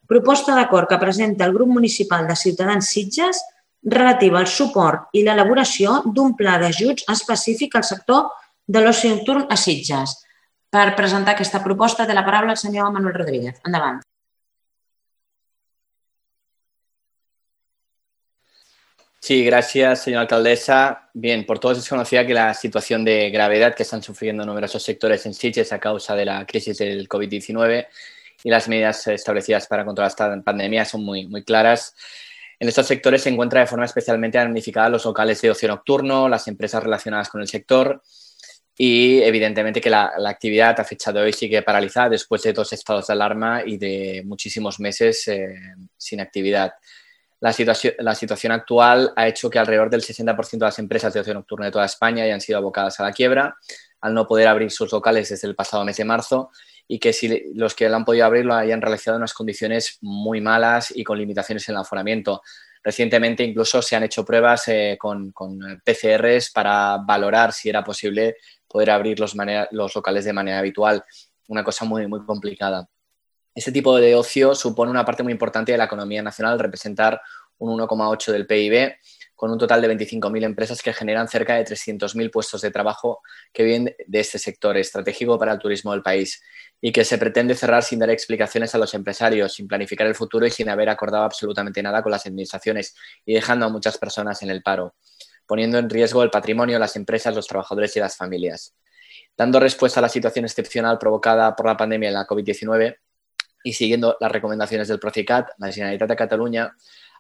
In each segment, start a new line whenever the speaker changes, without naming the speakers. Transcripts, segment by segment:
Proposta d'acord que presenta el grup municipal de Ciutadans Sitges relativa al suport i l'elaboració d'un pla d'ajuts específic al sector de l'oci nocturn a Sitges. Per presentar aquesta proposta té la paraula el senyor Manuel Rodríguez. Endavant.
Sí, gracias, señora alcaldesa. Bien, por todos es conocida que la situación de gravedad que están sufriendo numerosos sectores en Sitges a causa de la crisis del COVID-19 y las medidas establecidas para controlar esta pandemia son muy claras. En estos sectores se encuentra de forma especialmente damnificada los locales de ocio nocturno, las empresas relacionadas con el sector y, evidentemente, que la actividad a fecha de hoy sigue paralizada después de 2 estados de alarma y de muchísimos meses sin actividad. La situación actual ha hecho que alrededor del 60% de las empresas de ocio nocturno de toda España hayan sido abocadas a la quiebra al no poder abrir sus locales desde el pasado mes de marzo y que si los que lo han podido abrir lo hayan realizado en unas condiciones muy malas y con limitaciones en el aforamiento. Recientemente incluso se han hecho pruebas con PCRs para valorar si era posible poder abrir los locales de manera habitual, una cosa muy complicada. Este tipo de ocio supone una parte muy importante de la economía nacional, representar un 1,8% del PIB, con un total de 25.000 empresas que generan cerca de 300.000 puestos de trabajo que vienen de este sector estratégico para el turismo del país y que se pretende cerrar sin dar explicaciones a los empresarios, sin planificar el futuro y sin haber acordado absolutamente nada con las administraciones y dejando a muchas personas en el paro, poniendo en riesgo el patrimonio, las empresas, los trabajadores y las familias. Dando respuesta a la situación excepcional provocada por la pandemia de la COVID-19, y siguiendo las recomendaciones del Procicat, la Generalitat de Cataluña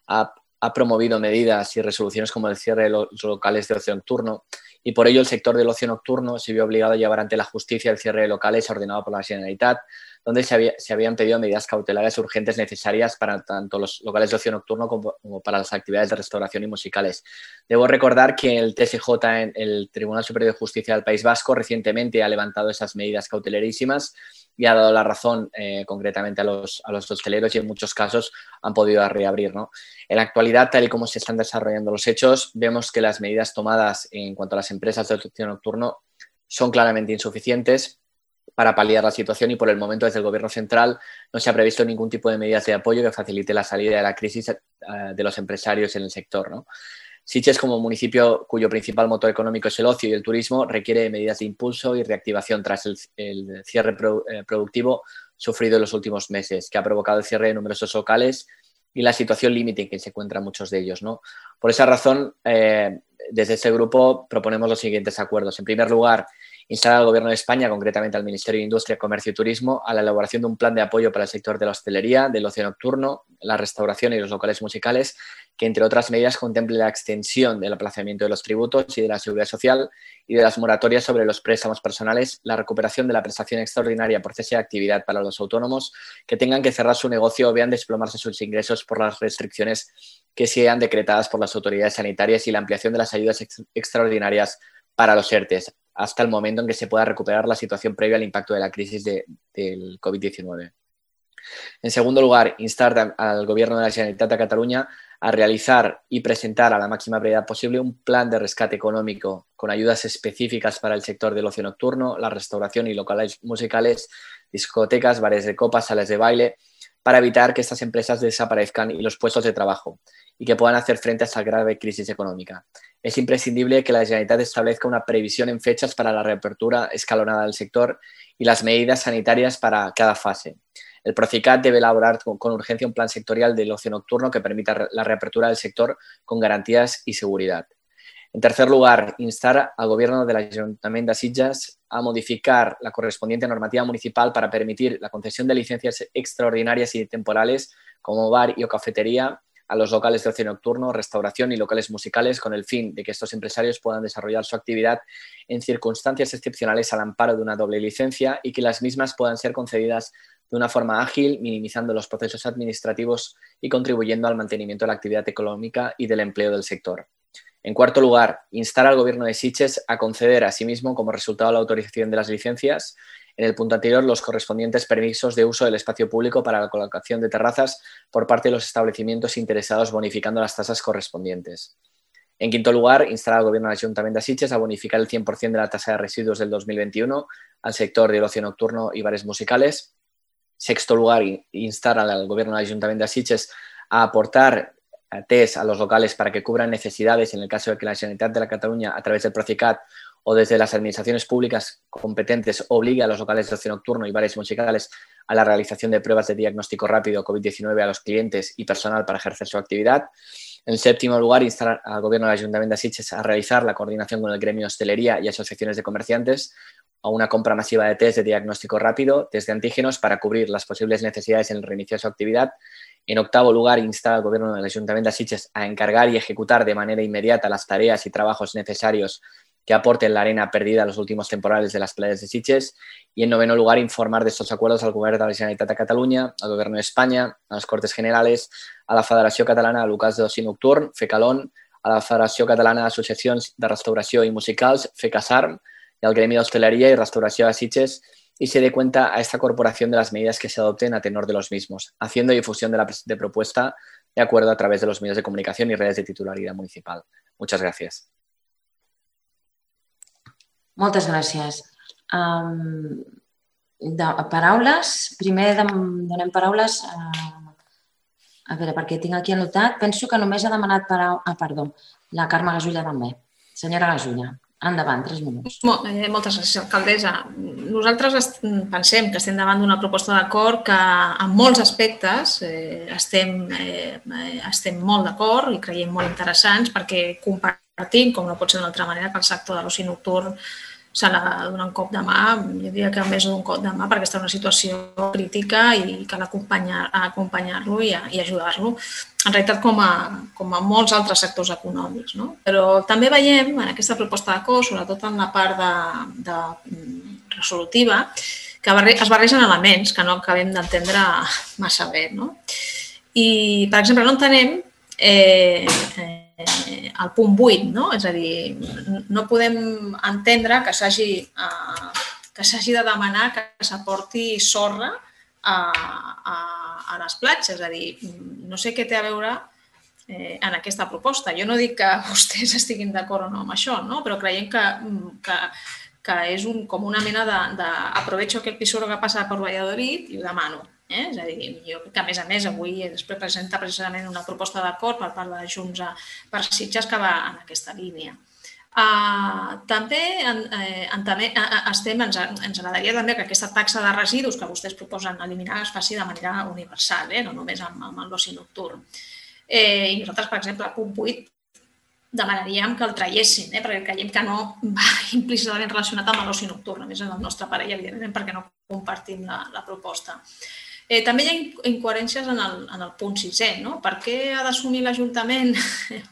ha promovido medidas y resoluciones como el cierre de los locales de ocio nocturno y por ello el sector del ocio nocturno se vio obligado a llevar ante la justicia el cierre de locales ordenado por la Generalitat, donde se habían pedido medidas cautelares urgentes necesarias para tanto los locales de ocio nocturno como para las actividades de restauración y musicales. Debo recordar que el TSJ, el Tribunal Superior de Justicia del País Vasco, recientemente ha levantado esas medidas cautelerísimas y ha dado la razón concretamente a los hosteleros y en muchos casos han podido reabrir, ¿no? En la actualidad, tal y como se están desarrollando los hechos, vemos que las medidas tomadas en cuanto a las empresas de ocio nocturno son claramente insuficientes para paliar la situación y por el momento desde el Gobierno central no se ha previsto ningún tipo de medidas de apoyo que facilite la salida de la crisis de los empresarios en el sector, ¿no? Sitges, como municipio cuyo principal motor económico es el ocio y el turismo, requiere de medidas de impulso y reactivación tras el cierre productivo sufrido en los últimos meses, que ha provocado el cierre de numerosos locales y la situación límite en que se encuentran muchos de ellos, ¿no? Por esa razón, desde este grupo proponemos los siguientes acuerdos. En primer lugar, instar al Gobierno de España, concretamente al Ministerio de Industria, Comercio y Turismo, a la elaboración de un plan de apoyo para el sector de la hostelería, del ocio nocturno, la restauración y los locales musicales, que, entre otras medidas, contemple la extensión del aplazamiento de los tributos y de la seguridad social y de las moratorias sobre los préstamos personales, la recuperación de la prestación extraordinaria por cese de actividad para los autónomos que tengan que cerrar su negocio o vean desplomarse sus ingresos por las restricciones que sean decretadas por las autoridades sanitarias y la ampliación de las ayudas extraordinarias para los ERTEs, hasta el momento en que se pueda recuperar la situación previa al impacto de la crisis del COVID-19. En segundo lugar, instar al Gobierno de la Generalitat de Cataluña a realizar y presentar a la máxima brevedad posible un plan de rescate económico con ayudas específicas para el sector del ocio nocturno, la restauración y locales musicales, discotecas, bares de copas, salas de baile, para evitar que estas empresas desaparezcan y los puestos de trabajo y que puedan hacer frente a esta grave crisis económica. Es imprescindible que la Generalitat establezca una previsión en fechas para la reapertura escalonada del sector y las medidas sanitarias para cada fase. El Procicat debe elaborar con urgencia un plan sectorial del ocio nocturno que permita la reapertura del sector con garantías y seguridad. En tercer lugar, instar al Gobierno del Ayuntamiento de Sitges a modificar la correspondiente normativa municipal para permitir la concesión de licencias extraordinarias y temporales como bar y o cafetería a los locales de ocio nocturno, restauración y locales musicales con el fin de que estos empresarios puedan desarrollar su actividad en circunstancias excepcionales al amparo de una doble licencia y que las mismas puedan ser concedidas de una forma ágil, minimizando los procesos administrativos y contribuyendo al mantenimiento de la actividad económica y del empleo del sector. En cuarto lugar, instar al Gobierno de Sitges a conceder asimismo, como resultado de la autorización de las licencias, en el punto anterior, los correspondientes permisos de uso del espacio público para la colocación de terrazas por parte de los establecimientos interesados, bonificando las tasas correspondientes. En quinto lugar, instar al Gobierno del Ayuntamiento de Sitges a bonificar el 100% de la tasa de residuos del 2021 al sector del ocio nocturno y bares musicales. sexto lugar, instar al Gobierno del Ayuntamiento de Sitges a aportar test a los locales para que cubran necesidades en el caso de que la Generalitat de Catalunya, a través del Procicat o desde las administraciones públicas competentes, obligue a los locales de ocio nocturno y bares musicales a la realización de pruebas de diagnóstico rápido COVID-19 a los clientes y personal para ejercer su actividad. En séptimo lugar, instar al Gobierno del Ayuntamiento de Sitges a realizar la coordinación con el gremio de hostelería y asociaciones de comerciantes a una compra masiva de test de diagnóstico rápido, test de antígenos, para cubrir las posibles necesidades en el reinicio de su actividad. En octavo lugar, instar al Gobierno del Ayuntamiento de Sitges a encargar y ejecutar de manera inmediata las tareas y trabajos necesarios que aporten la arena perdida a los últimos temporales de las playas de Sitges. Y en noveno lugar, informar de estos acuerdos al Govern de la Generalitat de Catalunya, al Gobierno de España, a las Cortes Generales, a la Federació Catalana de Locals d'Oci Nocturn, FECALON, a la Federació Catalana d'Associacions de Restauració i Musicals, FECASARM, y al Gremio de Hostelería y Restauración de Sitges, y se dé cuenta a esta corporación de las medidas que se adopten a tenor de los mismos, haciendo difusión de la presente propuesta de acuerdo a través de los medios de comunicación y redes de titularidad municipal. Muchas gracias.
Moltes gràcies. Paraules. Primer donem paraules a veure, perquè tinc aquí anotat. Penso que només ha demanat paraula... Perdó, la Carme Gasulla també. Senyora Gasulla, endavant, 3 minuts.
Moltes gràcies, alcaldessa. Nosaltres pensem que estem davant d'una proposta d'acord que en molts aspectes estem molt d'acord i creiem molt interessants, perquè compartim, com no pot ser d'una altra manera, que el sector de l'oci nocturn s'ha de donar un cop de mà, jo diria que més d'un cop de mà, perquè està en una situació crítica i cal acompanyar-lo i ajudar-lo, en realitat com a molts altres sectors econòmics. Però també veiem en aquesta proposta d'acord, sobretot en la part de resolutiva, que es barregen elements que no acabem d'entendre massa bé. I, per exemple, no entenem el punt 8, és a dir, no podem entendre que s'hagi de demanar que s'aporti sorra a les platges, és a dir, no sé què té a veure en aquesta proposta. Jo no dic que vostès estiguin d'acord o no amb això, però creiem que és com una mena d'aprovecho aquel pisoro que passa per Valladolid i ho demano. És a dir, jo crec que a més avui es presenta precisament una proposta d'acord per part de Junts per Sitges que va en aquesta línia. També ens agradaria també que aquesta taxa de residus que vostès proposen eliminar es faci de manera universal, no només amb l'oci nocturn. I nosaltres, per exemple, al punt 8, demanaríem que el traiessin, perquè creiem que no va implícitament relacionat amb l'oci nocturn, a més en el nostre parell, evidentment, perquè no compartim la proposta. També hi ha incoherències en el punt 6è. Per què ha d'assumir l'Ajuntament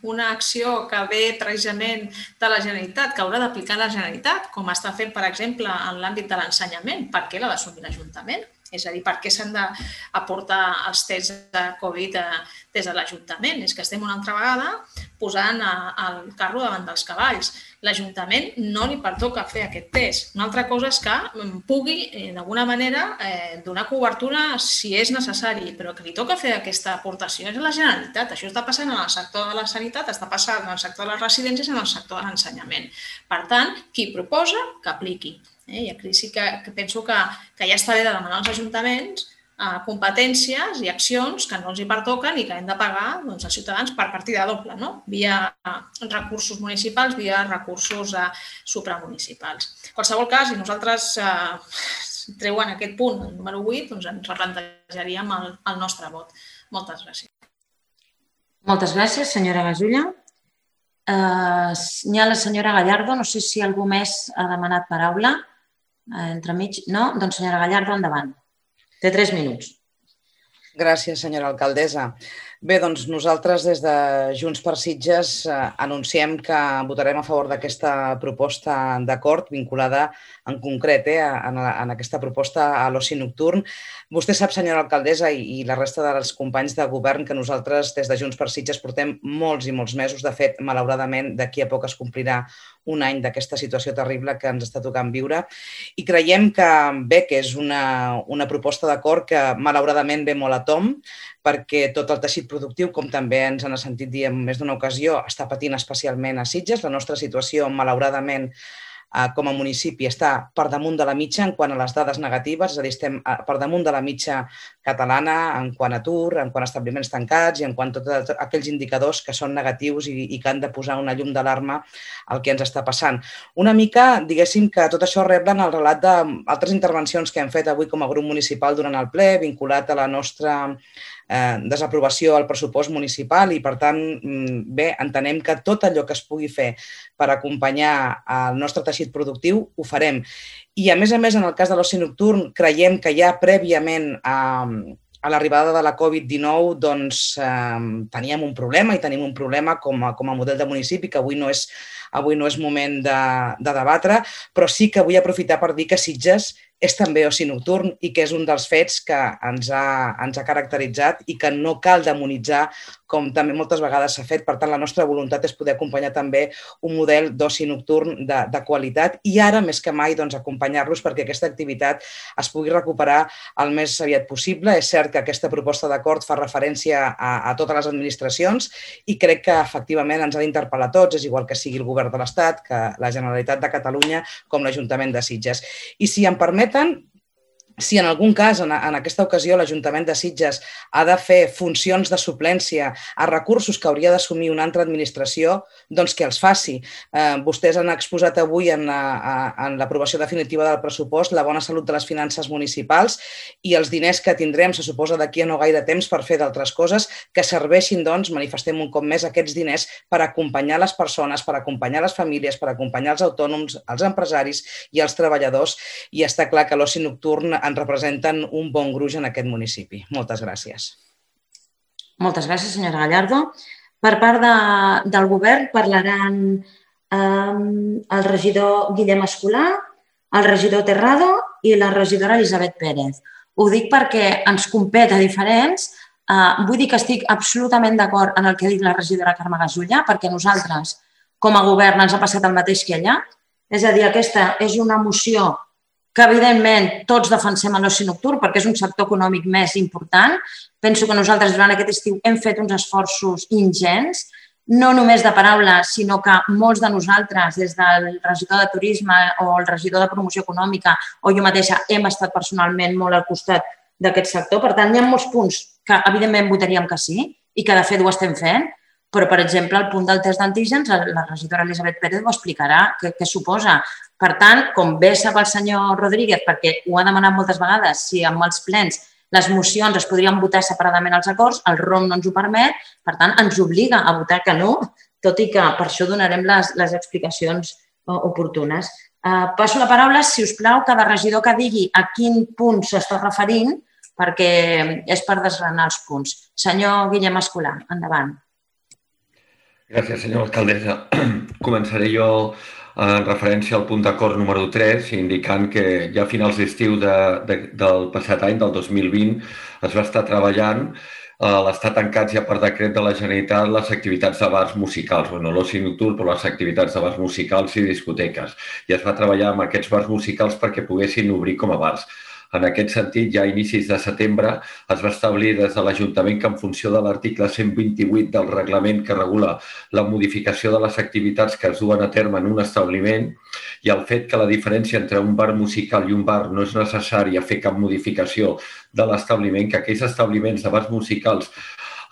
una acció que ve precisament de la Generalitat, que haurà d'aplicar la Generalitat, com està fent, per exemple, en l'àmbit de l'ensenyament? Per què l'ha d'assumir l'Ajuntament? És a dir, per què s'han d'aportar els tests de Covid des de l'Ajuntament? És que estem una altra vegada posant el carro davant dels cavalls. L'Ajuntament no li pertoca fer aquest test. Una altra cosa és que pugui, d'alguna manera, donar cobertura si és necessari, però que li toca fer aquesta aportació és la Generalitat. Això està passant en el sector de la sanitat, està passant en el sector de les residències i en el sector de l'ensenyament. Per tant, qui proposa, que apliqui. I aquí sí que penso que ja està bé de demanar als ajuntaments competències i accions que no els hi pertoquen i que hem de pagar als ciutadans per partida doble, via recursos municipals, via recursos supramunicipals. En qualsevol cas, si nosaltres treuen aquest punt, el número 8, doncs ens replantejaríem el nostre vot. Moltes gràcies.
Moltes gràcies, senyora Gasulla. N'hi ha la senyora Gallardo, no sé si algú més ha demanat paraula. Entremig, no? Doncs senyora Gallardo, endavant. Té 3 minuts.
Gràcies, senyora alcaldessa. Bé, doncs nosaltres des de Junts per Sitges anunciem que votarem a favor d'aquesta proposta d'acord vinculada en concret en aquesta proposta a l'oci nocturn. Vostè sap, senyora alcaldessa, i la resta dels companys de govern, que nosaltres des de Junts per Sitges portem molts i molts mesos. De fet, malauradament, d'aquí a poc es complirà un any d'aquesta situació terrible que ens està tocant viure. I creiem que bé, que és una proposta d'acord que malauradament ve molt a tomb, perquè tot el teixit productiu, com també ens han sentit dir en més d'una ocasió, està patint especialment a Sitges. La nostra situació, malauradament, com a municipi està per damunt de la mitja en quant a les dades negatives, és a dir, estem per damunt de la mitja catalana en quant a atur, en quant a establiments tancats i en quant a tots aquells indicadors que són negatius i que han de posar una llum d'alarma al que ens està passant. Una mica, diguéssim, que tot això reblen el relat d'altres intervencions que hem fet avui com a grup municipal durant el ple, vinculat a la nostra desaprovació al pressupost municipal i, per tant, bé, entenem que tot allò que es pugui fer per acompanyar el nostre teixit productiu ho farem. I, a més, en el cas de l'oci nocturn, creiem que ja prèviament a l'arribada de la Covid-19 doncs, teníem un problema i tenim un problema com a model de municipi que avui no és moment de debatre, però sí que vull aprofitar per dir que Sitges és també oci nocturn i que és un dels fets que ens ha caracteritzat i que no cal demonitzar com també moltes vegades s'ha fet. Per tant, la nostra voluntat és poder acompanyar també un model d'oci nocturn de qualitat i ara, més que mai, doncs, acompanyar-los perquè aquesta activitat es pugui recuperar el més aviat possible. És cert que aquesta proposta d'acord fa referència a totes les administracions i crec que, efectivament, ens ha d'interpel·lar a tots, és igual que sigui el govern de l'Estat, que la Generalitat de Catalunya com l'Ajuntament de Sitges. I si em permeten, si en algun cas, en aquesta ocasió, l'Ajuntament de Sitges ha de fer funcions de suplència a recursos que hauria d'assumir una altra administració, doncs que els faci. Vostès han exposat avui en l'aprovació definitiva del pressupost la bona salut de les finances municipals i els diners que tindrem, se suposa d'aquí a no gaire temps, per fer d'altres coses, que serveixin, doncs, manifestem un cop més aquests diners per acompanyar les persones, per acompanyar les famílies, per acompanyar els autònoms, els empresaris i els treballadors. I està clar que l'oci nocturn ens representen un bon gruix en aquest municipi. Moltes gràcies.
Moltes gràcies, senyora Gallardo. Per part del govern parlaran el regidor Guillem Escolà, el regidor Terrado i la regidora Elisabet Pérez. Ho dic perquè ens compet a diferents. Vull dir que estic absolutament d'acord en el que ha dit la regidora Carme Gasulla, perquè nosaltres, com a govern, ens ha passat el mateix que ella. És a dir, aquesta és una moció que, evidentment, tots defensem l'oci nocturn perquè és un sector econòmic més important. Penso que nosaltres durant aquest estiu hem fet uns esforços ingents, no només de paraula, sinó que molts de nosaltres, des del regidor de Turisme o el regidor de Promoció Econòmica o jo mateixa, hem estat personalment molt al costat d'aquest sector. Per tant, hi ha molts punts que, evidentment, votaríem que sí i que, de fet, ho estem fent, però, per exemple, el punt del test d'antígens, la regidora Elisabet Pérez ho explicarà, què suposa. Per tant, com bé sap el senyor Rodríguez, perquè ho ha demanat moltes vegades, si amb els plens les mocions es podrien votar separadament als acords, el ROM no ens ho permet, per tant, ens obliga a votar que no, tot i que per això donarem les explicacions oportunes. Passo la paraula, si us plau, cada regidor que digui a quin punt s'està referint, perquè és per desgranar els punts. Senyor Guillem Escolà, endavant.
Gràcies, senyora alcaldessa. Començaré jo en referència al punt d'acord número 3, indicant que ja a finals d'estiu del passat any, del 2020, es va estar treballant a l'estar tancats ja per decret de la Generalitat les activitats de bars musicals, l'oci nocturn, però les activitats de bars musicals i discoteques. I es va treballar amb aquests bars musicals perquè poguessin obrir com a bars. En aquest sentit, ja a inicis de setembre es va establir des de l'Ajuntament que en funció de l'article 128 del reglament que regula la modificació de les activitats que es duen a terme en un establiment i el fet que la diferència entre un bar musical i un bar no és necessària fer cap modificació de l'establiment, que aquells establiments de bars musicals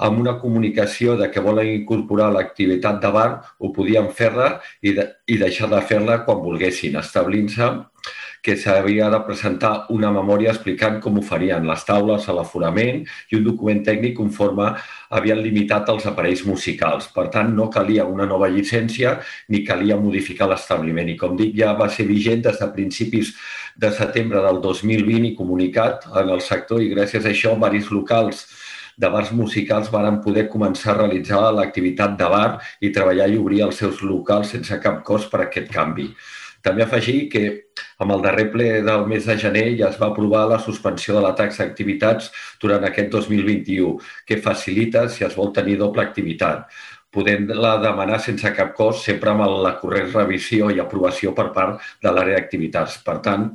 amb una comunicació de que volen incorporar l'activitat de bar ho podien fer-la i deixar de fer-la quan volguessin, establint-se que s'havia de presentar una memòria explicant com ho farien les taules, l'aforament i un document tècnic conforme havien limitat els aparells musicals. Per tant, no calia una nova llicència ni calia modificar l'establiment. I com dic, ja va ser vigent des de principis de setembre del 2020 i comunicat en el sector i gràcies a això diversos locals de bars musicals van poder començar a realitzar l'activitat de bar i treballar i obrir els seus locals sense cap cost per aquest canvi. També afegir que amb el darrer ple del mes de gener ja es va aprovar la suspensió de la taxa d'activitats durant aquest 2021, que facilita si es vol tenir doble activitat, podent-la demanar sense cap cost, sempre amb la corrent revisió i aprovació per part de l'àrea d'activitats. Per tant,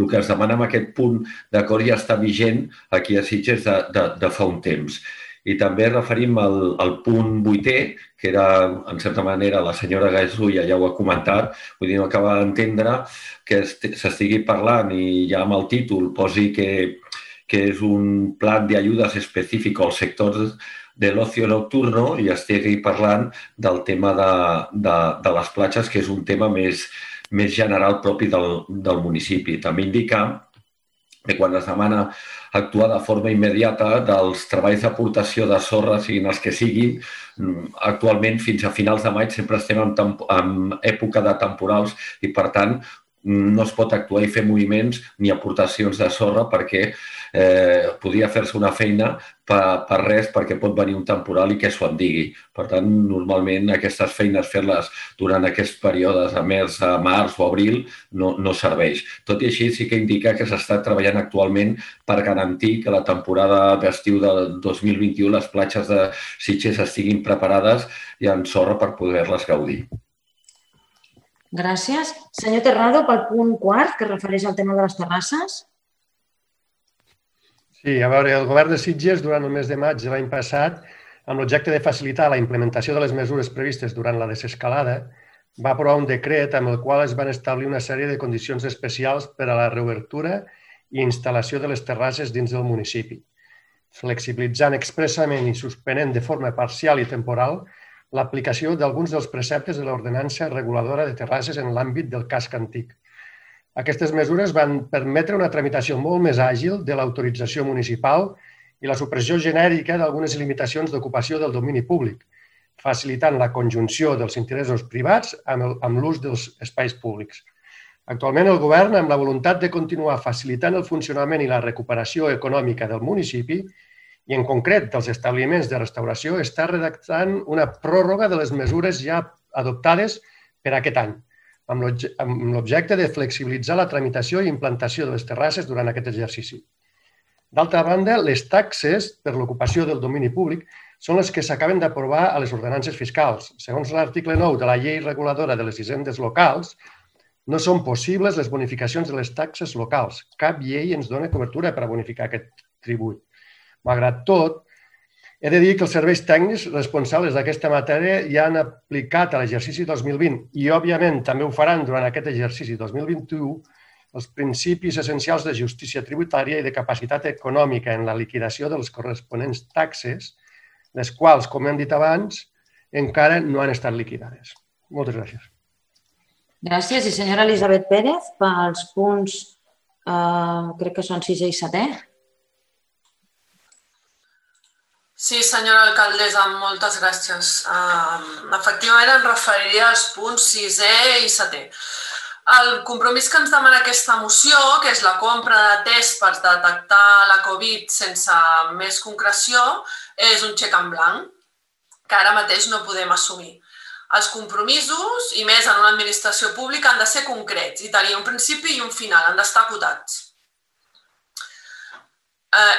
el que es demana amb aquest punt d'acord ja està vigent aquí a Sitges de fa un temps. I també referim al punt 8è, que era, en certa manera, la senyora Gasulla ja ho ha comentat, vull dir, no acaba d'entendre que s'estigui parlant i ja amb el títol posi que és un plan de ayudas específico al sector del ocio nocturno i estigui parlant del tema de les platges, que és un tema més general propi del municipi. També indica que quan es demana actuar de forma immediata dels treballs d'aportació de sorra, siguin els que siguin, actualment fins a finals de maig sempre estem en època de temporals i, per tant, no es pot actuar i fer moviments ni aportacions de sorra perquè podria fer-se una feina per res perquè pot venir un temporal i que s'ho en digui. Per tant, normalment aquestes feines fer-les durant aquests períodes a març o abril no serveix. Tot i així sí que indica que s'està treballant actualment per garantir que la temporada d'estiu del 2021 les platges de Sitges estiguin preparades i amb sorra per poder-les gaudir.
Gràcies. Senyor Terrado, pel punt 4, que es refereix al tema de les terrasses.
Sí, a veure, el govern de Sitges, durant el mes de maig de l'any passat, amb l'objecte de facilitar la implementació de les mesures previstes durant la desescalada, va aprovar un decret amb el qual es van establir una sèrie de condicions especials per a la reobertura i instal·lació de les terrasses dins del municipi, flexibilitzant expressament i suspenent de forma parcial i temporal l'aplicació d'alguns dels preceptes de l'ordenança reguladora de terrasses en l'àmbit del casc antic. Aquestes mesures van permetre una tramitació molt més àgil de l'autorització municipal i la supressió genèrica d'algunes limitacions d'ocupació del domini públic, facilitant la conjunció dels interessos privats amb l'ús dels espais públics. Actualment, el govern, amb la voluntat de continuar facilitant el funcionament i la recuperació econòmica del municipi, i en concret dels establiments de restauració, està redactant una pròrroga de les mesures ja adoptades per aquest any, amb l'objecte de flexibilitzar la tramitació i implantació de les terrasses durant aquest exercici. D'altra banda, les taxes per l'ocupació del domini públic són les que s'acaben d'aprovar a les ordenances fiscals. Segons l'article 9 de la llei reguladora de les hisendes locals, no són possibles les bonificacions de les taxes locals. Cap llei ens dona cobertura per a bonificar aquest tribut. Malgrat tot, he de dir que els serveis tècnics responsables d'aquesta matèria ja han aplicat a l'exercici 2020 i, òbviament, també ho faran durant aquest exercici 2021 els principis essencials de justícia tributària i de capacitat econòmica en la liquidació de les corresponents taxes, les quals, com hem dit abans, encara no han estat liquidades. Moltes gràcies.
Gràcies. I senyora Elisabet Pérez, pels punts, crec que són 6è i 7è.
Sí, senyora alcaldessa, moltes gràcies. Efectivament, em referiria als punts 6è i 7è. El compromís que ens demana aquesta moció, que és la compra de tests per detectar la Covid sense més concreció, és un xec en blanc, que ara mateix no podem assumir. Els compromisos, i més en una administració pública, han de ser concrets i tenir un principi i un final, han d'estar acotats.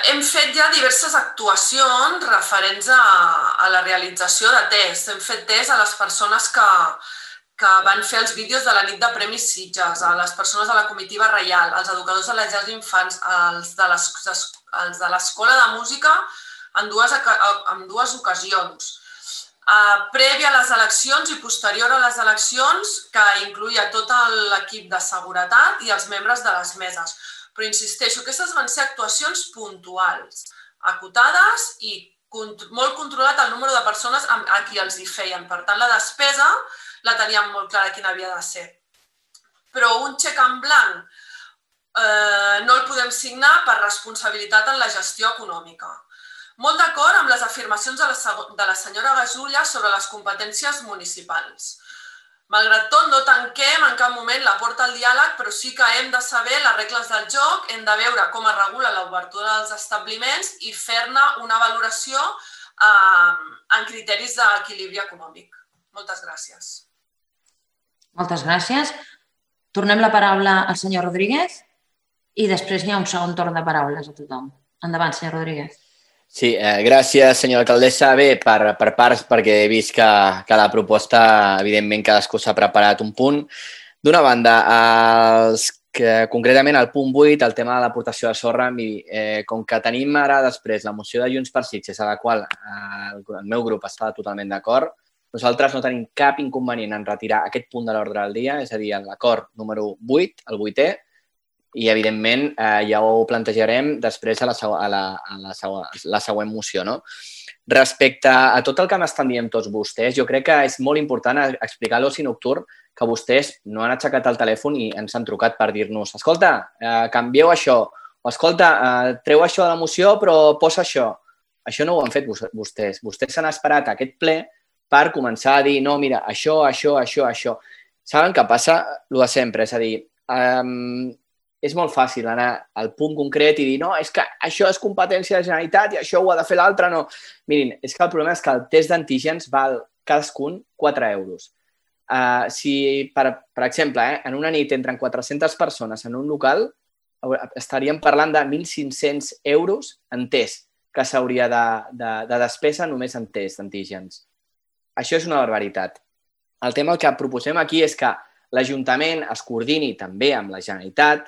Hem fet ja diverses actuacions referents a la realització de tests. Hem fet tests a les persones que van fer els vídeos de la nit de Premis Sitges, a les persones de la comitiva reial, als educadors de les llars d'infants, als de l'escola de música en dues ocasions. Prèvia a les eleccions i posterior a les eleccions, que incloïa tot l'equip de seguretat i els membres de les meses. Però insisteixo, aquestes van ser actuacions puntuals, acotades i molt controlat el número de persones a qui els hi feien. Per tant, la despesa la teníem molt clara quina havia de ser. Però un xec en blanc no el podem signar per responsabilitat en la gestió econòmica. Molt d'acord amb les afirmacions de la senyora Gasulla sobre les competències municipals. Malgrat tot, no tanquem en cap moment la porta al diàleg, però sí que hem de saber les regles del joc, hem de veure com es regula l'obertura dels establiments i fer-ne una valoració en criteris d'equilibri econòmic. Moltes gràcies.
Moltes gràcies. Tornem la paraula al senyor Rodríguez i després hi ha un segon torn de paraules a tothom. Endavant, senyor Rodríguez.
Sí, gràcies, senyora alcaldessa. Bé, per parts, perquè he vist que la proposta, evidentment, cadascú s'ha preparat un punt. D'una banda, els que concretament al punt 8, el tema de l'aportació de sorra, com que tenim ara després la moció de Junts per Sitges, a la qual el meu grup està totalment d'acord, nosaltres no tenim cap inconvenient en retirar aquest punt de l'ordre del dia, és a dir, l'acord número 8, el 8è, i evidentment ja ho plantejarem després a la següent moció, no? Respecte a tot el que m'estan dient tots vostès, jo crec que és molt important explicar a l'oci nocturn que vostès no han aixecat el telèfon i ens han trucat per dir-nos escolta, canvieu això, o escolta, treu això de la moció però posa això. Això no ho han fet vostès. Vostès s'han esperat a aquest ple per començar a dir, no, mira, això. Saben què passa? El de sempre, és a dir, és molt fàcil anar al punt concret i dir, no, és que això és competència de la Generalitat i això ho ha de fer l'altre, no. Mirin, és que el problema és que el test d'antígens val cadascun 4 euros. Si, per exemple, en una nit entren 400 persones en un local, estaríem parlant de 1.500 euros en test que s'hauria de despesa només en test d'antígens. Això és una barbaritat. El tema que proposem aquí és que l'Ajuntament es coordini també amb la Generalitat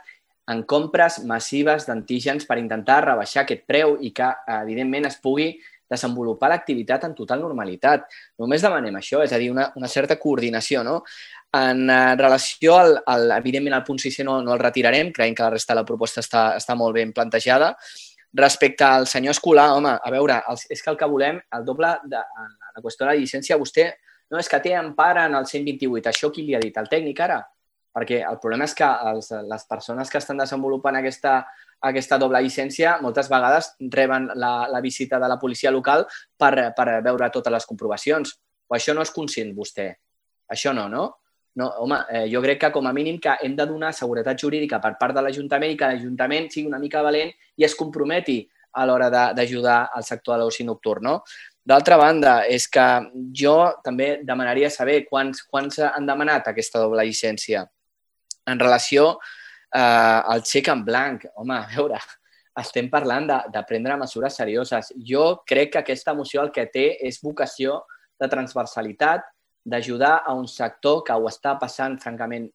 en compres massives d'antígens per intentar rebaixar aquest preu i que, evidentment, es pugui desenvolupar l'activitat en total normalitat. Només demanem això, és a dir, una certa coordinació, no? En relació, evidentment, al punt 6 no el retirarem, creiem que la resta de la proposta està molt ben plantejada. Respecte al senyor Escolà, home, a veure, és que el que volem, el doble de la qüestió de la llicència, vostè no és que té empara en el 128. Això qui li ha dit? El tècnic ara? Perquè el problema és que les persones que estan desenvolupant aquesta doble llicència moltes vegades reben la visita de la policia local per veure totes les comprovacions. O això no és conscient vostè? Això no, no? No, home, jo crec que com a mínim que hem de donar seguretat jurídica per part de l'Ajuntament i que l'Ajuntament sigui una mica valent i es comprometi a l'hora d'ajudar al sector de l'oci nocturn, no? D'altra banda, és que jo també demanaria saber quants han demanat aquesta doble llicència. En relació al xec en blanc, home, a veure, estem parlant de prendre mesures serioses. Jo crec que aquesta moció el que té és vocació de transversalitat, d'ajudar a un sector que ho està passant, francament,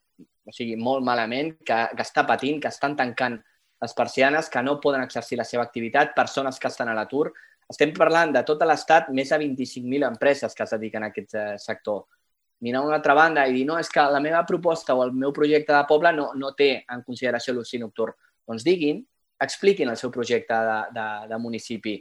o sigui, molt malament, que està patint, que estan tancant les persianes, que no poden exercir la seva activitat, persones que estan a l'atur. Estem parlant de tot l'estat, més de 25.000 empreses que es dediquen a aquest sector. Mirar a una altra banda i dir, no, és que la meva proposta o el meu projecte de poble no té en consideració l'oci nocturn. Doncs diguin, expliquin el seu projecte de municipi.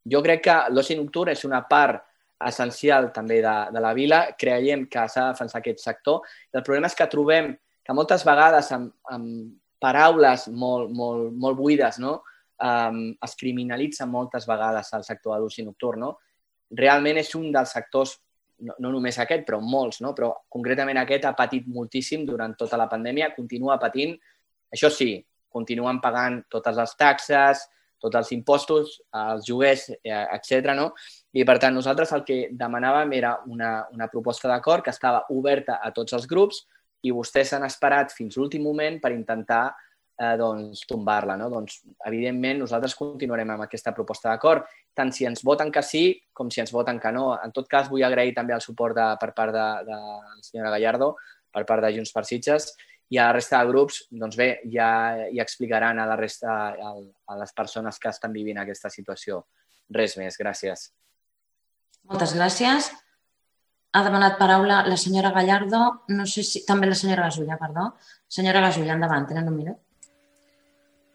Jo crec que l'oci nocturn és una part essencial també de la vila, creiem que s'ha de defensar aquest sector. El problema és que trobem que moltes vegades amb paraules molt buides, no? Es criminalitza moltes vegades el sector de l'oci nocturn. No? Realment és un dels sectors, no només aquest, però molts, no? Però concretament aquest ha patit moltíssim durant tota la pandèmia, continua patint. Això sí, continuen pagant totes les taxes, tots els impostos, els lloguers, etc. No? I, per tant, nosaltres el que demanàvem era una proposta d'acord que estava oberta a tots els grups i vostès s'han esperat fins l'últim moment per intentar tombar-la. No? Doncs, evidentment, nosaltres continuarem amb aquesta proposta d'acord, tant si ens voten que sí com si ens voten que no. En tot cas, vull agrair també el suport per part de la senyora Gallardo, per part de Junts per Sitges, i a la resta de grups, doncs bé, ja explicaran a la resta, a les persones que estan vivint aquesta situació. Res més, gràcies.
Moltes gràcies. Ha demanat paraula la senyora Gallardo, no sé si... També la senyora Gasulla, perdó. Senyora Gasulla, endavant, tenen un minut.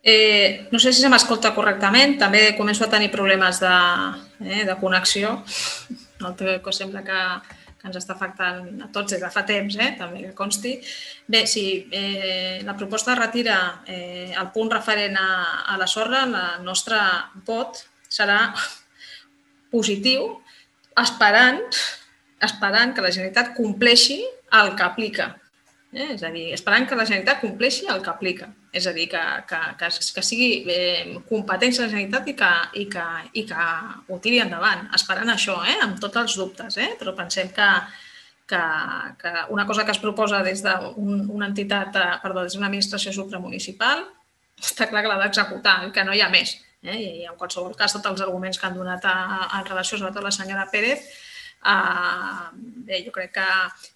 No sé si se m'escolta correctament, també començo a tenir problemes de connexió. Sembla que ens està afectant a tots des de fa temps, també que consti. Bé, si la proposta retira el punt referent a la sorra, el nostre vot serà positiu, esperant que la Generalitat compleixi el que aplica. És a dir, esperant que la Generalitat compleixi el que aplica. És a dir, que sigui competència de la Generalitat i que ho tiri endavant. Esperant això, amb tots els dubtes. Però pensem que una cosa que es proposa des d'una entitat, des d'una administració supramunicipal, està clar que l'ha d'executar, que no hi ha més. I en qualsevol cas, tots els arguments que han donat en relació, sobretot la senyora Pérez, Bé, jo crec que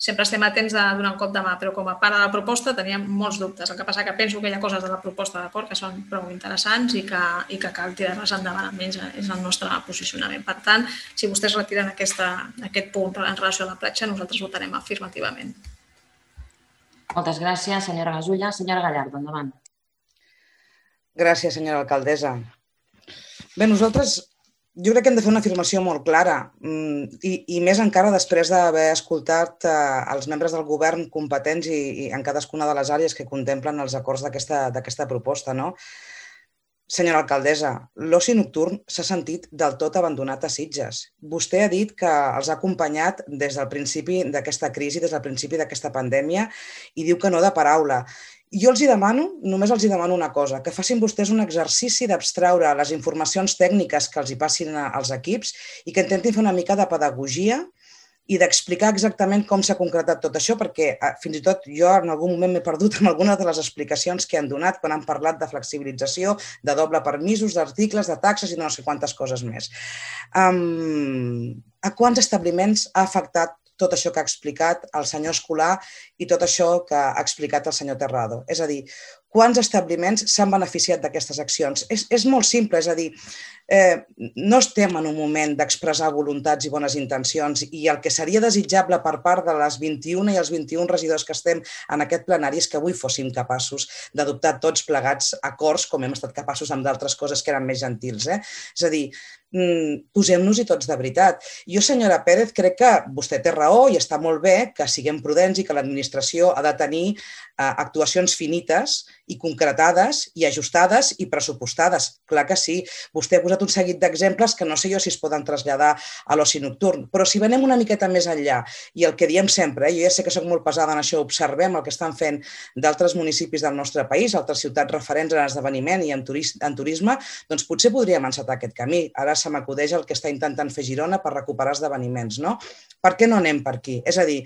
sempre estem atents a donar un cop de mà, però com a part de la proposta teníem molts dubtes. El que passa que penso que hi ha coses de la proposta d'acord que són prou interessants i que cal tirar-les endavant, almenys és el nostre posicionament. Per tant, si vostès retiren aquest punt en relació a la platja, nosaltres votarem afirmativament.
Moltes gràcies, senyora Gasulla. Senyora Gallardo, endavant.
Gràcies, senyora alcaldessa. Bé, nosaltres jo crec que hem de fer una afirmació molt clara i més encara després d'haver escoltat els membres del govern competents i en cadascuna de les àrees que contemplen els acords d'aquesta proposta, no? Senyora alcaldessa, l'oci nocturn s'ha sentit del tot abandonat a Sitges. Vostè ha dit que els ha acompanyat des del principi d'aquesta crisi, des del principi d'aquesta pandèmia, i diu que no de paraula. Jo només els demano una cosa, que facin vostès un exercici d'abstraure les informacions tècniques que els hi passin als equips i que intentin fer una mica de pedagogia i d'explicar exactament com s'ha concretat tot això, perquè fins i tot jo en algun moment m'he perdut en algunes de les explicacions que han donat quan han parlat de flexibilització, de doble permisos, d'articles, de taxes i no sé quantes coses més. A quants establiments ha afectat tot això que ha explicat el senyor Escolà i tot això que ha explicat el senyor Terrado? És a dir, quants establiments s'han beneficiat d'aquestes accions? És molt simple, és a dir, no estem en un moment d'expressar voluntats i bones intencions i el que seria desitjable per part de les 21 i els 21 regidors que estem en aquest plenari és que avui fóssim capaços d'adoptar tots plegats acords com hem estat capaços amb d'altres coses que eren més gentils. És a dir, posem-nos-hi tots de veritat. Jo, senyora Pérez, crec que vostè té raó i està molt bé que siguem prudents i que l'administració ha de tenir actuacions finites i concretades i ajustades i pressupostades. Clar que sí. Vostè ha posat un seguit d'exemples que no sé jo si es poden traslladar a l'oci nocturn, però si venem una miqueta més enllà i el que diem sempre, jo ja sé que soc molt pesada en això, observem el que estan fent d'altres municipis del nostre país, altres ciutats referents en esdeveniment i en turisme, doncs potser podríem encetar aquest camí. Ara se m'acudeix el que està intentant fer Girona per recuperar esdeveniments, no? Per què no anem per aquí? És a dir,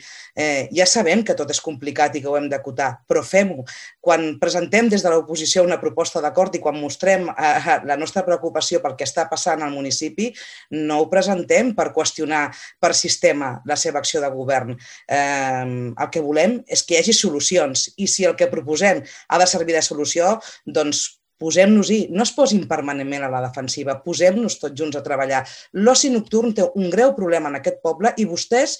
ja sabem que tot és complicat i que ho hem d'acotar, però fem-ho. Quan presentem des de l'oposició una proposta d'acord i quan mostrem la nostra preocupació pel que està passant al municipi, no ho presentem per qüestionar per sistema la seva acció de govern. El que volem és que hi hagi solucions i si el que proposem ha de servir de solució, doncs posem-nos-hi, no es posin permanentment a la defensiva, posem-nos tots junts a treballar. L'oci nocturn té un greu problema en aquest poble i vostès,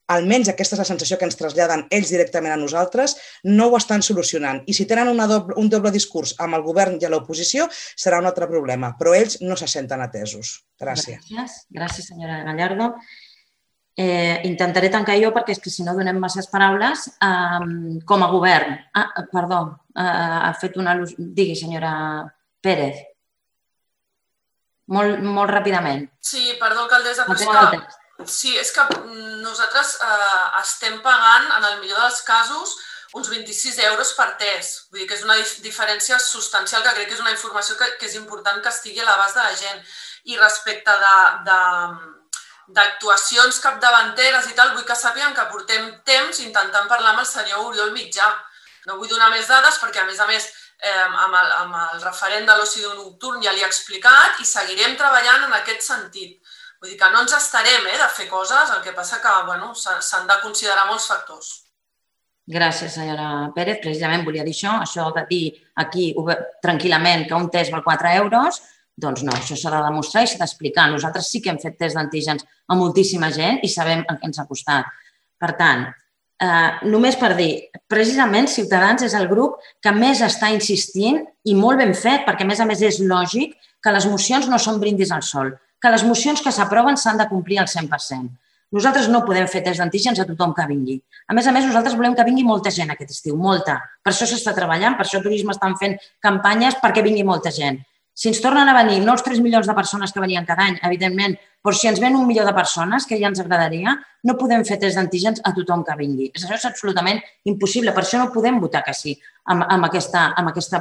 almenys aquesta és la sensació que ens traslladen ells directament a nosaltres, no ho estan solucionant. I si tenen un doble discurs amb el govern i a l'oposició, serà un altre problema, però ells no se senten atesos. Gràcies.
Gràcies, senyora Gallardo. Intentaré tancar jo perquè és que si no donem masses paraules. Com a govern, perdó, ha fet una al·lusió. Digui, senyora Pérez. Molt ràpidament.
Sí, perdó, alcaldessa, sí, és que nosaltres estem pagant, en el millor dels casos, uns 26 euros per test. Vull dir que és una diferència substancial que crec que és una informació que és important que estigui a l'abast de la gent. I respecte d'actuacions capdavanteres i tal, vull que sàpiguen que portem temps intentant parlar amb el senyor Oriol Mitjà. No vull donar més dades perquè, a més, amb el referent de l'oci nocturn ja li he explicat i seguirem treballant en aquest sentit. Vull dir que no ens estarem de fer coses, el que passa que s'han de considerar molts factors.
Gràcies, senyora Pérez. Precisament volia dir això de dir aquí tranquil·lament que un test val 4 euros, doncs no, això s'ha de demostrar i s'ha d'explicar. Nosaltres sí que hem fet test d'antígens a moltíssima gent i sabem el que ens ha costat. Per tant, només per dir, precisament Ciutadans és el grup que més està insistint i molt ben fet, perquè a més és lògic que les mocions no són brindis al sol, que les mocions que s'aproven s'han de complir al 100%. Nosaltres no podem fer test d'antígens a tothom que vingui. A més, nosaltres volem que vingui molta gent aquest estiu, molta. Per això s'està treballant, per això Turisme estan fent campanyes perquè vingui molta gent. Si ens tornen a venir, no els 3 milions de persones que venien cada any, evidentment, però si ens ven 1 milió de persones, que ja ens agradaria, no podem fer test d'antígens a tothom que vingui. Això és absolutament impossible, per això no podem votar que sí amb aquesta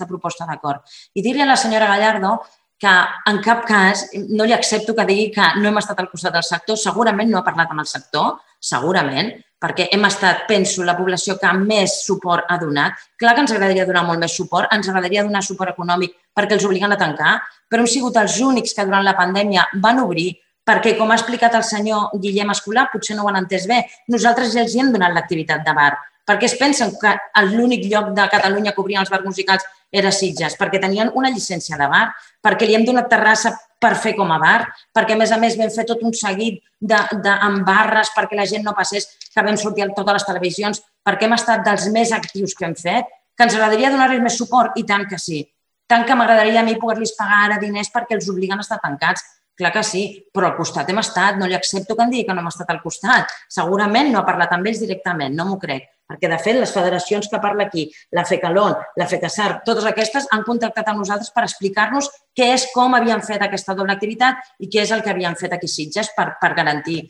proposta d'acord. I dir-li a la senyora Gallardo que en cap cas no li accepto que digui que no hem estat al costat del sector, segurament no ha parlat amb el sector, segurament, perquè hem estat, penso, la població que més suport ha donat. Clar que ens agradaria donar molt més suport, ens agradaria donar suport econòmic perquè els obliguen a tancar, però hem sigut els únics que durant la pandèmia van obrir perquè, com ha explicat el senyor Guillem Escolà, potser no ho han entès bé, nosaltres ja els hi hem donat l'activitat de bar. Per què es pensen que l'únic lloc de Catalunya que obrien els bars musicals era Sitges? Perquè tenien una llicència de bar, perquè li hem donat terrassa per fer com a bar, perquè, a més, vam fer tot un seguit amb barres perquè la gent no passés, que vam sortir a totes les televisions, perquè hem estat dels més actius que hem fet, que ens agradaria donar-los més suport, i tant que sí. Tant que m'agradaria a mi poder-los pagar ara diners perquè els obliguen a estar tancats. Clar que sí, però al costat hem estat, no li accepto que em digui que no hem estat al costat. Segurament no ha parlat amb ells directament, no m'ho crec, perquè de fet les federacions que parla aquí, la FECALON, la FECASAR, totes aquestes han contactat amb nosaltres per explicar-nos què és, com havien fet aquesta doble activitat i què és el que havien fet aquí a Sitges per garantir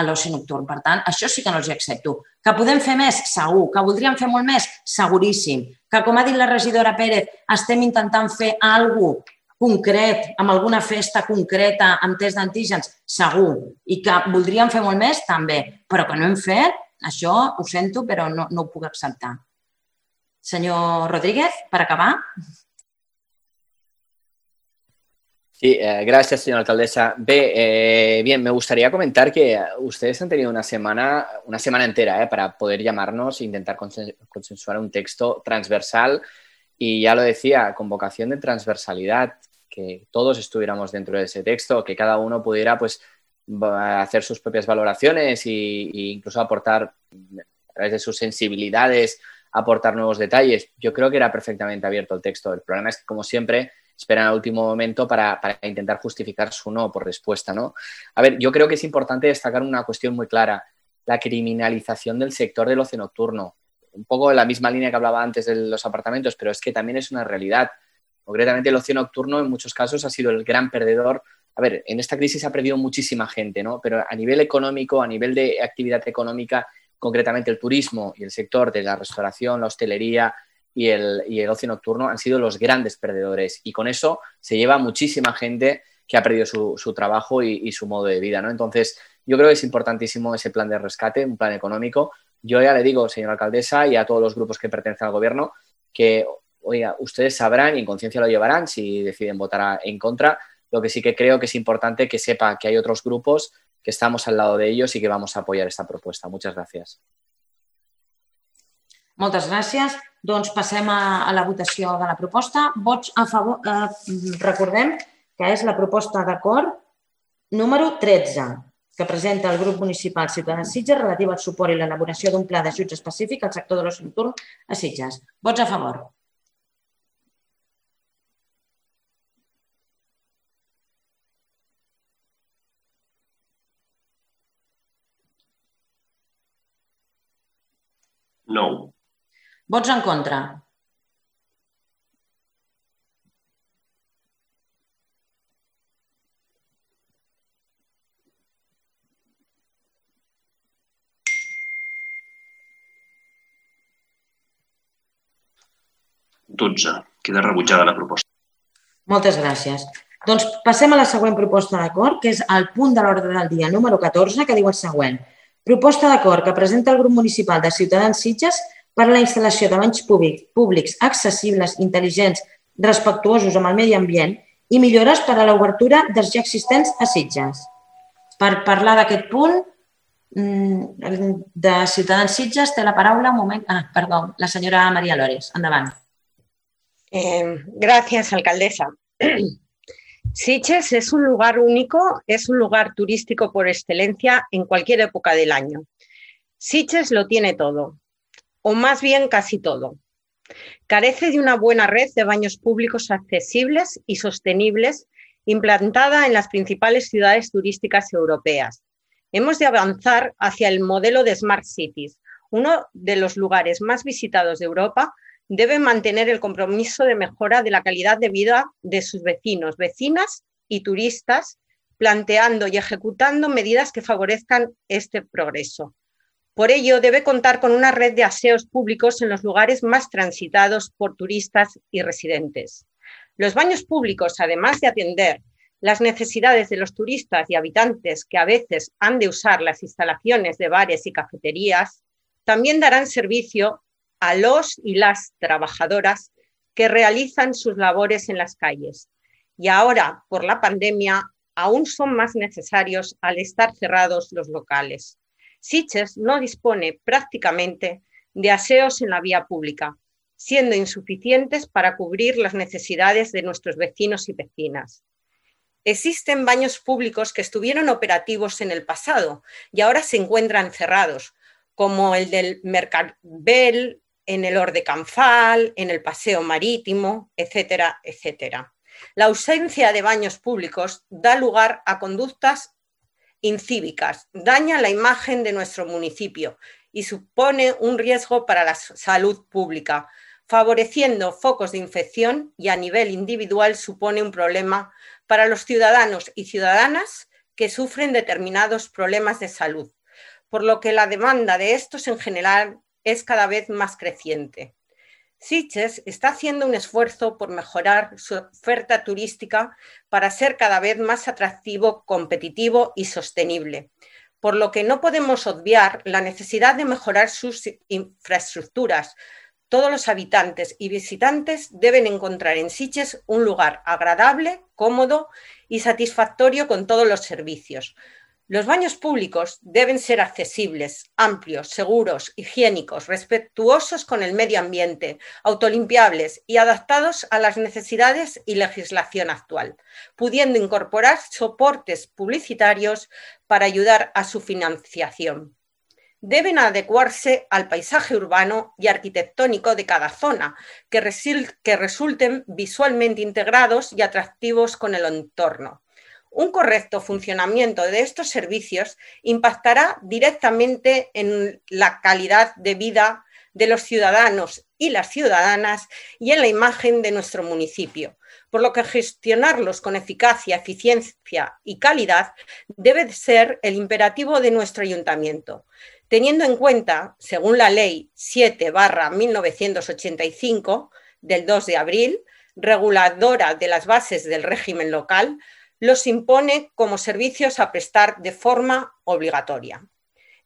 l'oci nocturn. Per tant, això sí que no els hi accepto. Que podem fer més? Segur. Que voldríem fer molt més? Seguríssim. Que, com ha dit la regidora Pérez, estem intentant fer alguna cosa concret, amb alguna festa concreta, amb test d'antígens, segur. I que voldríem fer molt més, també. Però que no hem fet, això ho sento, però no ho puc acceptar. Senyor Rodríguez, per acabar.
Sí, gracias, señora alcaldesa. Bien, me gustaría comentar que ustedes han tenido una semana entera para poder llamarnos e intentar consensuar un texto transversal. Y ya lo decía, con vocación de transversalidad, que todos estuviéramos dentro de ese texto, que cada uno pudiera pues, hacer sus propias valoraciones e incluso aportar, a través de sus sensibilidades, aportar nuevos detalles. Yo creo que era perfectamente abierto el texto. El problema es que, como siempre, esperan al último momento para intentar justificar su no por respuesta, ¿no? A ver, yo creo que es importante destacar una cuestión muy clara, la criminalización del sector del ocio nocturno. Un poco en la misma línea que hablaba antes de los apartamentos, pero es que también es una realidad. Concretamente, el ocio nocturno en muchos casos ha sido el gran perdedor. A ver, en esta crisis ha perdido muchísima gente, ¿no? Pero a nivel económico, a nivel de actividad económica, concretamente el turismo y el sector de la restauración, la hostelería y el ocio nocturno han sido los grandes perdedores. Y con eso se lleva muchísima gente que ha perdido su trabajo y su modo de vida, ¿no? Entonces, yo creo que es importantísimo ese plan de rescate, un plan económico. Yo ya le digo, señora alcaldesa, y a todos los grupos que pertenecen al gobierno, que, oiga, ustedes sabrán y en conciencia lo llevarán si deciden votar en contra. Lo que sí que creo que es importante que sepa que hay otros grupos que estamos al lado de ellos y que vamos a apoyar esta propuesta. Muchas gracias.
Moltes gràcies. Doncs passem a la votació de la proposta. Vots a favor. Recordem que és la proposta d'acord número 13, que presenta el grup municipal Ciutadans Sitges relativa al suport i l'elaboració d'un pla d'ajuts específic al sector de l'oci nocturn a Sitges. Vots a favor.
No.
Vots en contra.
Queda rebutjada la proposta.
Moltes gràcies. Doncs passem a la següent proposta d'acord, que és el punt de l'ordre del dia número 14, que diu el següent. Proposta d'acord que presenta el grup municipal de Ciutadans Sitges per a la instal·lació de banys públics accessibles, intel·ligents, respectuosos amb el medi ambient i millores per a l'obertura dels ja existents a Sitges. Per parlar d'aquest punt, de Ciutadans Sitges té la paraula la senyora María Lores. Endavant.
Gracias, alcaldesa. Sitges es un lugar único, es un lugar turístico por excelencia en cualquier época del año. Sitges lo tiene todo, o más bien casi todo. Carece de una buena red de baños públicos accesibles y sostenibles implantada en las principales ciudades turísticas europeas. Hemos de avanzar hacia el modelo de Smart Cities. Uno de los lugares más visitados de Europa debe mantener el compromiso de mejora de la calidad de vida de sus vecinos, vecinas y turistas, planteando y ejecutando medidas que favorezcan este progreso. Por ello, debe contar con una red de aseos públicos en los lugares más transitados por turistas y residentes. Los baños públicos, además de atender las necesidades de los turistas y habitantes que a veces han de usar las instalaciones de bares y cafeterías, también darán servicio a los y las trabajadoras que realizan sus labores en las calles. Y ahora, por la pandemia, aún son más necesarios al estar cerrados los locales. Sitges no dispone prácticamente de aseos en la vía pública, siendo insuficientes para cubrir las necesidades de nuestros vecinos y vecinas. Existen baños públicos que estuvieron operativos en el pasado y ahora se encuentran cerrados, como el del Mercadbel, en el Hort de Canfal, en el Paseo Marítimo, etcétera, etcétera. La ausencia de baños públicos da lugar a conductas incívicas, daña la imagen de nuestro municipio y supone un riesgo para la salud pública, favoreciendo focos de infección y a nivel individual supone un problema para los ciudadanos y ciudadanas que sufren determinados problemas de salud, por lo que la demanda de estos en general es cada vez más creciente. Sitges está haciendo un esfuerzo por mejorar su oferta turística para ser cada vez más atractivo, competitivo y sostenible, por lo que no podemos obviar la necesidad de mejorar sus infraestructuras. Todos los habitantes y visitantes deben encontrar en Sitges un lugar agradable, cómodo y satisfactorio con todos los servicios. Los baños públicos deben ser accesibles, amplios, seguros, higiénicos, respetuosos con el medio ambiente, autolimpiables y adaptados a las necesidades y legislación actual, pudiendo incorporar soportes publicitarios para ayudar a su financiación. Deben adecuarse al paisaje urbano y arquitectónico de cada zona, que resulten visualmente integrados y atractivos con el entorno. Un correcto funcionamiento de estos servicios impactará directamente en la calidad de vida de los ciudadanos y las ciudadanas y en la imagen de nuestro municipio, por lo que gestionarlos con eficacia, eficiencia y calidad debe ser el imperativo de nuestro ayuntamiento, teniendo en cuenta, según la Ley 7/1985 del 2 de abril, reguladora de las bases del régimen local, los impone como servicios a prestar de forma obligatoria.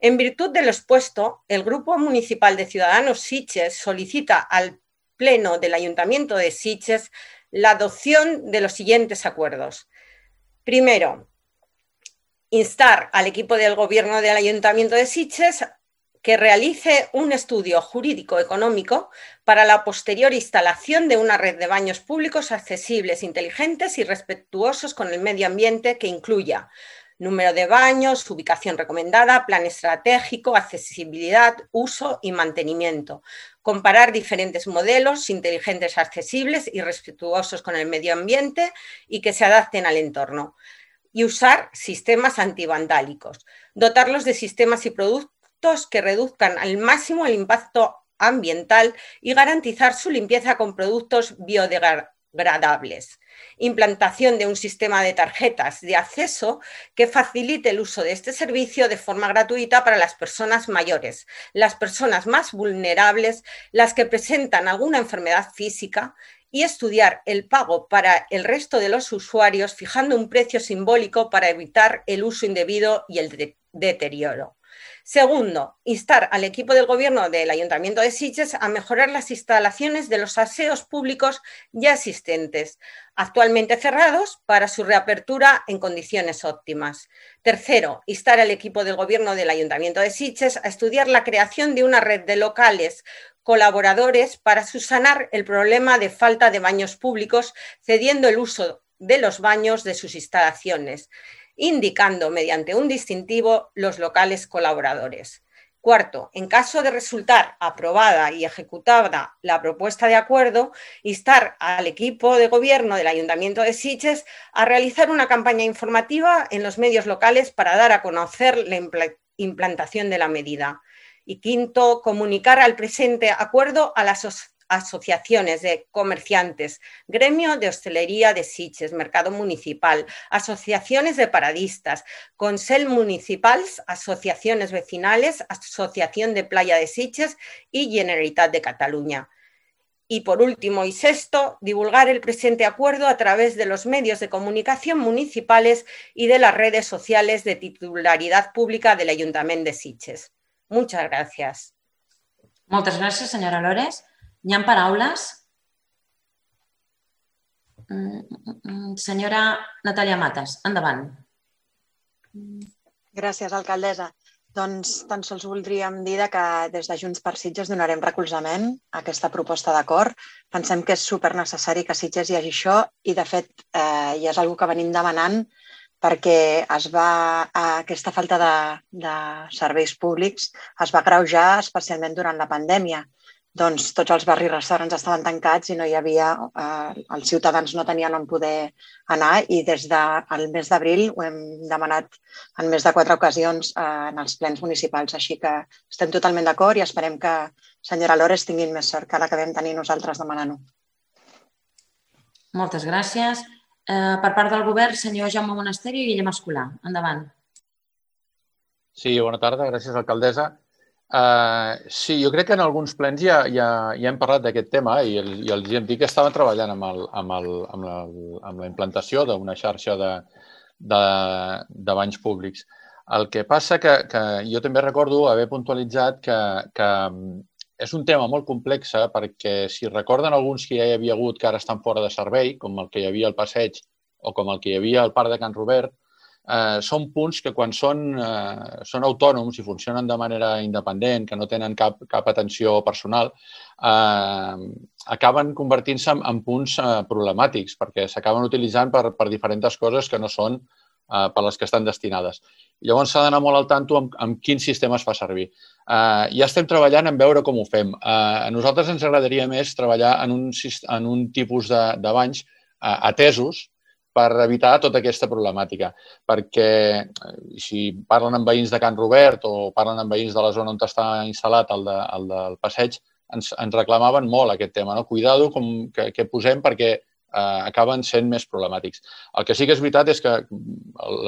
En virtud de lo expuesto, el Grupo Municipal de Ciudadanos Sitges solicita al Pleno del Ayuntamiento de Sitges la adopción de los siguientes acuerdos. Primero, instar al equipo del Gobierno del Ayuntamiento de Sitges que realice un estudio jurídico-económico para la posterior instalación de una red de baños públicos accesibles, inteligentes y respetuosos con el medio ambiente que incluya número de baños, ubicación recomendada, plan estratégico, accesibilidad, uso y mantenimiento. Comparar diferentes modelos inteligentes, accesibles y respetuosos con el medio ambiente y que se adapten al entorno. Y usar sistemas antivandálicos. Dotarlos de sistemas y productos que reduzcan al máximo el impacto ambiental y garantizar su limpieza con productos biodegradables. Implantación de un sistema de tarjetas de acceso que facilite el uso de este servicio de forma gratuita para las personas mayores, las personas más vulnerables, las que presentan alguna enfermedad física, y estudiar el pago para el resto de los usuarios fijando un precio simbólico para evitar el uso indebido y el deterioro. Segundo, instar al equipo del Gobierno del Ayuntamiento de Sitges a mejorar las instalaciones de los aseos públicos ya existentes, actualmente cerrados, para su reapertura en condiciones óptimas. Tercero, instar al equipo del Gobierno del Ayuntamiento de Sitges a estudiar la creación de una red de locales colaboradores para subsanar el problema de falta de baños públicos, cediendo el uso de los baños de sus instalaciones, indicando mediante un distintivo los locales colaboradores. Cuarto, en caso de resultar aprobada y ejecutada la propuesta de acuerdo, instar al equipo de gobierno del Ayuntamiento de Sitges a realizar una campaña informativa en los medios locales para dar a conocer la implantación de la medida. Y quinto, comunicar al presente acuerdo a las asociaciones de comerciantes, gremio de hostelería de Sitges, mercado municipal, asociaciones de paradistas, consell municipals, asociaciones vecinales, asociación de playa de Sitges y Generalitat de Cataluña. Y por último y sexto, divulgar el presente acuerdo a través de los medios de comunicación municipales y de las redes sociales de titularidad pública del Ayuntamiento de Sitges. Muchas gracias.
Moltes gràcies, senyora Lores. Hi ha paraules? Senyora Natàlia Matas, endavant.
Gràcies, alcaldessa. Doncs tan sols voldríem dir que des de Junts per Sitges donarem recolzament a aquesta proposta d'acord. Pensem que és supernecessari que a Sitges hi hagi això i, de fet, ja és una cosa que venim demanant perquè aquesta falta de serveis públics es va agreujar especialment durant la pandèmia. Doncs tots els barris i restaurants estaven tancats i no hi havia, els ciutadans no tenien on poder anar i des del mes d'abril ho hem demanat en més de 4 ocasions en els plens municipals. Així que estem totalment d'acord i esperem que, senyora Lores, tinguin més sort que la que vam tenir nosaltres demanant-ho.
Moltes gràcies. Per part del govern, senyor Jaume Monasterio i Guillem Escolà. Endavant.
Sí, bona tarda. Gràcies, alcaldessa. Sí, jo crec que en alguns plens ja hem parlat d'aquest tema i els hem dit que estaven treballant amb la implantació d'una xarxa de banys públics. El que passa que jo també recordo haver puntualitzat que és un tema molt complex perquè si recorden alguns que ja hi havia hagut que ara estan fora de servei, com el que hi havia al Passeig o com el que hi havia al Parc de Can Robert, són punts que quan són autònoms i funcionen de manera independent, que no tenen cap atenció personal, acaben convertint-se en punts problemàtics perquè s'acaben utilitzant per diferents coses que no són per les que estan destinades. Llavors s'ha d'anar molt al tanto amb quin sistema es fa servir. Ja estem treballant en veure com ho fem. A nosaltres ens agradaria més treballar en un tipus de banys atesos per evitar tota aquesta problemàtica. Perquè si parlen amb veïns de Can Robert o parlen amb veïns de la zona on està instal·lat el del Passeig, ens reclamaven molt aquest tema. Cuidado que posem perquè acaben sent més problemàtics. El que sí que és veritat és que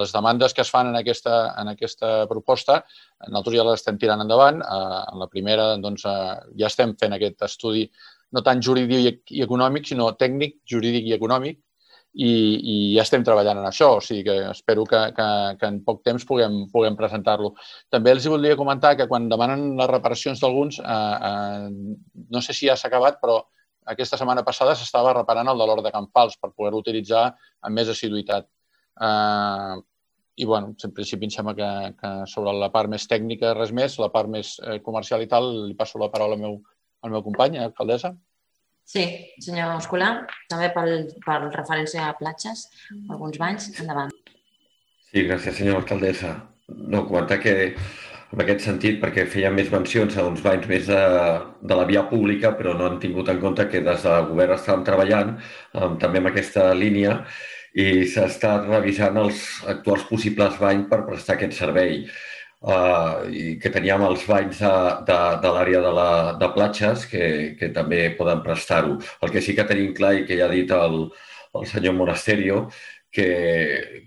les demandes que es fan en aquesta proposta, nosaltres ja les estem tirant endavant. En la primera ja estem fent aquest estudi no tant jurídic i econòmic, sinó tècnic, jurídic i econòmic, i ja estem treballant en això, o sigui que espero que en poc temps puguem presentar-lo. També els voldria comentar que quan demanen les reparacions d'alguns, no sé si ja s'ha acabat, però aquesta setmana passada s'estava reparant el de l'Hort de Can Fals per poder-lo utilitzar amb més assiduïtat. I, bueno, en principi em sembla que sobre la part més tècnica res més, la part més comercial i tal, li passo la paraula al meu company, alcaldessa.
Sí, senyor Escolà, també per referència a platges, alguns banys, endavant.
Sí, gràcies, senyora alcaldessa. No, comentar que en aquest sentit, perquè feia més mencions a uns banys més de la via pública, però no han tingut en compte que des del govern estàvem treballant també en aquesta línia i s'ha estat revisant els actuals possibles banys per prestar aquest servei. I que teníem els banys de l'àrea de platges que també poden prestar-ho. El que sí que tenim clar i que ja ha dit el senyor Monasterio, que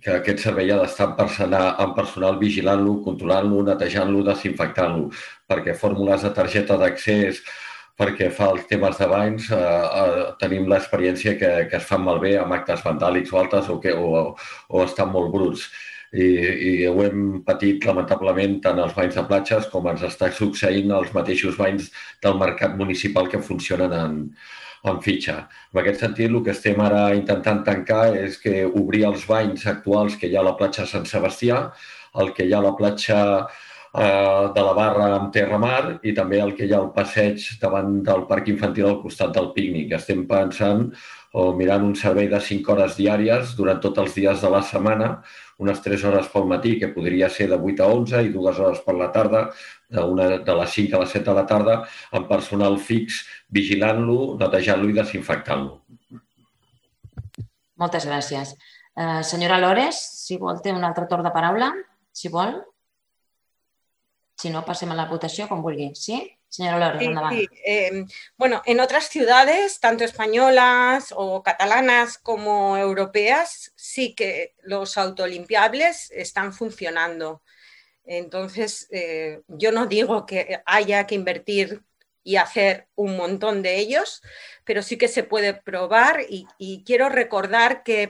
aquest servei ha d'estar amb personal vigilant-lo, controlant-lo, netejant-lo, desinfectant-lo, perquè fórmules de targeta d'accés perquè fa els temes de banys tenim l'experiència que es fan malbé amb actes vandàlics o altres o estan molt bruts. I ho hem patit lamentablement tant als banys de platges com ens està succeint als mateixos banys del mercat municipal que funcionen en fitxa. En aquest sentit, el que estem ara intentant tancar és que obrir els banys actuals que hi ha a la platja Sant Sebastià, el que hi ha a la platja de la Barra amb Terra Mar i també el que hi ha al passeig davant del parc infantil al costat del pícnic. Estem pensant o mirant un servei de 5 hores diàries durant tots els dies de la setmana, unes 3 hores pel matí, que podria ser de 8 a 11, i 2 hores per la tarda, de les 5 a les 7 de la tarda, amb personal fix, vigilant-lo, netejant-lo i desinfectant-lo.
Moltes gràcies. Senyora Lores, si vol, té un altre torn de paraula, si vol. Si no, passem a la votació, com vulgui. Sí? Señora Lores, endavant.
Sí. Bueno, en otras ciudades, tanto españolas o catalanas como europeas, sí que los autolimpiables están funcionando. Entonces, yo no digo que haya que invertir y hacer un montón de ellos, pero sí que se puede probar y quiero recordar que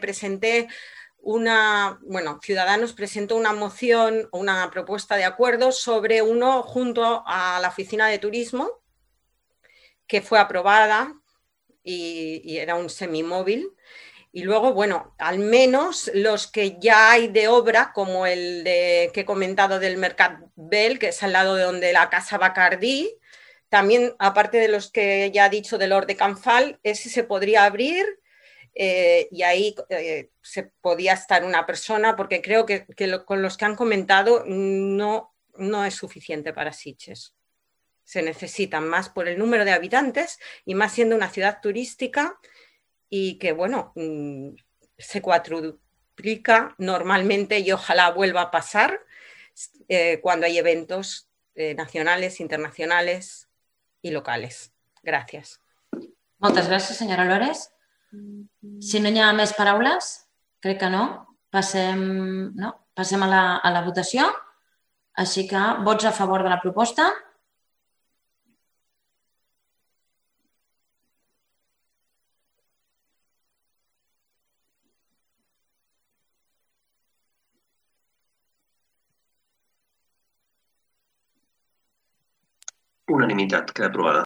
Ciudadanos presentó una moción o una propuesta de acuerdo sobre uno junto a la Oficina de Turismo, que fue aprobada y era un semimóvil. Y luego, bueno, al menos los que ya hay de obra, como el que he comentado del Mercat Bell, que es al lado de donde la Casa Bacardí, también, aparte de los que ya he dicho del Hort de Can Fal, ese se podría abrir y ahí se podía estar una persona, porque creo que con los que han comentado no es suficiente para Sitges. Se necesitan más por el número de habitantes y más siendo una ciudad turística y que, bueno, se cuadruplica normalmente y ojalá vuelva a pasar cuando hay eventos nacionales, internacionales i locales. Gràcies.
Moltes gràcies, senyora Lores. Si no hi ha més paraules, crec que no. Passem a la votació. Així que vots a favor de la proposta.
Unanimitat, queda aprovada.